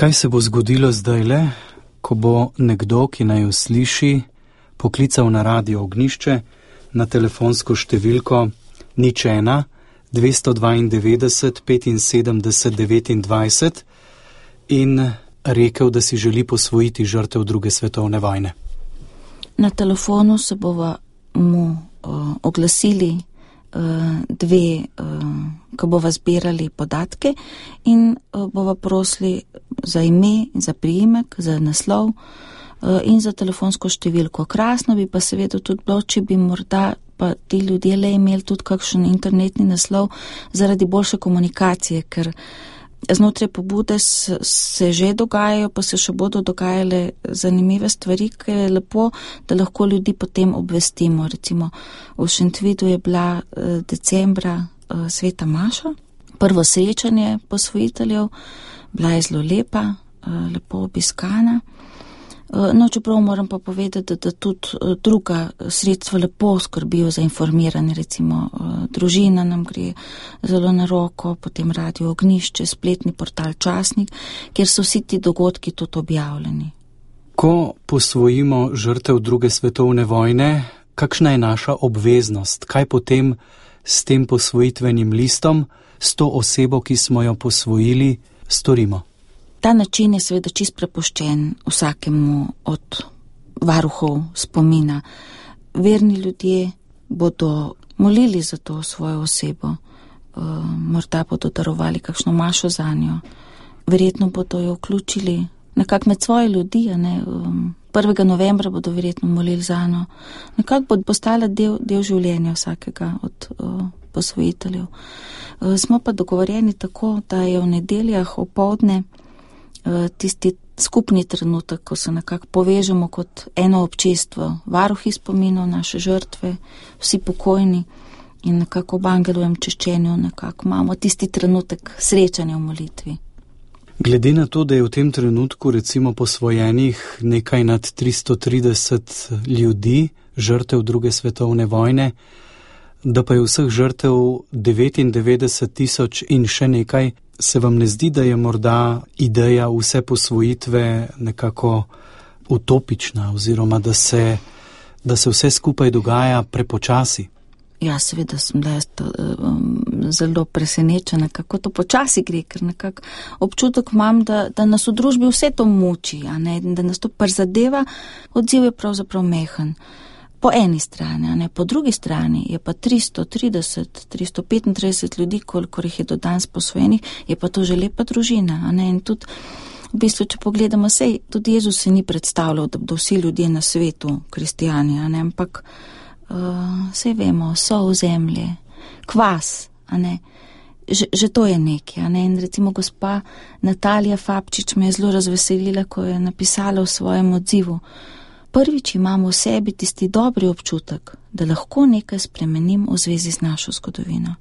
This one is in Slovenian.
Kaj se bo zgodilo zdajle, ko bo nekdo, ki naj jo sliši, poklical na Radio Ognjišče na telefonsko številko 01 292 75 29 in rekel, da si želi posvojiti žrtev druge svetovne vojne? Na telefonu se bova mu oglasili dve, ko bova zbirali podatke in bova prosili za ime, za priimek, za naslov in za telefonsko številko. Krasno bi pa seveda tudi bilo, če bi morda pa ti ljudje le imeli tudi kakšen internetni naslov zaradi boljše komunikacije, ker znotraj pobude se že dogajajo, pa se še bodo dogajale zanimive stvari, ker je lepo, da lahko ljudi potem obvestimo. Recimo v Šentvidu je bila decembra Sveta Maša, prvo srečanje posvojiteljev, bila je zelo lepa, lepo obiskana. No, čeprav moram pa povedati, da tudi druga sredstva lepo skrbijo za informiranje, recimo Družina nam gre zelo na roko, potem Radio Ognjišče, spletni portal Časnik, kjer so vsi ti dogodki tudi objavljeni. Ko posvojimo žrtev druge svetovne vojne, kakšna je naša obveznost? Kaj potem s tem posvojitvenim listom, s to osebo, ki smo jo posvojili, storimo? Ta način je seveda čist prepuščen vsakemu od varuhov spomina. Verni ljudje bodo molili za to svojo osebo, morda bodo darovali kakšno mašo za njo, verjetno bodo jo vključili nekako med svoje ljudi, 1. novembra bodo verjetno molili za njo. Nekako bo postala del življenja vsakega od posvojiteljev. Smo pa dogovorjeni tako, da je v nedeljah opoldne tisti skupni trenutek, ko se nekako povežemo kot eno občestvo, varuhi spominov, naše žrtve, vsi pokojni in nekako ob angelovem češčenju nekako imamo tisti trenutek srečanja v molitvi. Glede na to, da je v tem trenutku recimo posvojenih nekaj nad 330 ljudi, žrtev druge svetovne vojne, da pa je vseh žrtev 99 000 in še nekaj, se vam ne zdi, da je morda ideja vse posvojitve nekako utopična oziroma da se vse skupaj dogaja prepočasi? Ja, seveda sem bila zelo presenečena, kako to počasi gre, ker nekako občutek imam, da nas v družbi vse to muči, da nas to prizadeva, odziv je pravzaprav mehen. Po eni strani, po drugi strani je pa 335 ljudi, kolikor jih je do danes posvojenih, je pa to že lepa družina. In tudi, v bistvu, če pogledamo, tudi Jezus se ni predstavljal, da bodo vsi ljudje na svetu kristijani, ampak saj vemo, sol zemlje, kvas, že to je nekaj. In recimo gospa Natalija Fabčič me je zelo razveselila, ko je napisala v svojem odzivu: prvič imamo v sebi tisti dobri občutek, da lahko nekaj spremenim v zvezi z našo zgodovino.